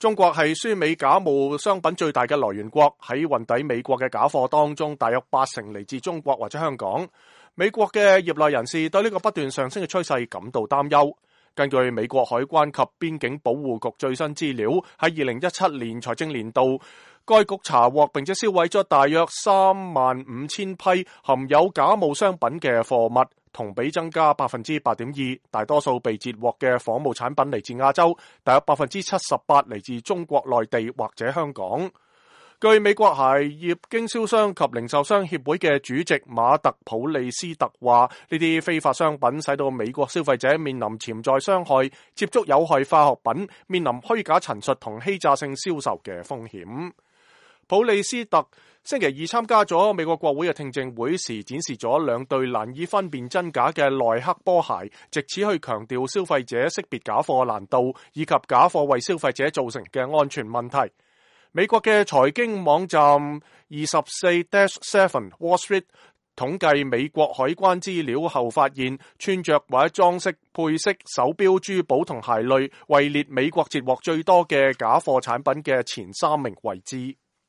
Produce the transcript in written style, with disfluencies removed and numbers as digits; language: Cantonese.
中國係輸美假冒商品最大嘅來源國，喺運抵美國嘅假貨當中，大約80%嚟自中國或者香港。美國嘅業內人士對呢個不斷上升嘅趨勢感到擔憂。根據美國海關及邊境保護局最新資料，喺2017年財政年度，該局查獲並且銷毀咗大約35000批含有假冒商品嘅貨物，同比增加 8.2%， 大多數被截獲嘅仿冒產品嚟自亞洲，大約 78% 嚟自中國內地或者香港。據美國鞋業經銷商及零售商協會嘅主席馬特普利斯特話，呢啲非法商品使到美國消費者面臨潛在傷害，接觸有害化學品，面臨虛假陳述同欺詐性銷售嘅風險。普利斯特星期二參加咗美國國會嘅聽證會時，展示咗2對難以分辨真假嘅耐克波鞋，藉此去強調消費者識別假貨難度，以及假貨為消費者造成嘅安全問題。美國嘅財經網站24-7 Wall Street 統計美國海關資料後發現，穿着或者裝飾、配飾、手錶、珠寶同鞋類位列美國截獲最多嘅假貨產品嘅前3名位置。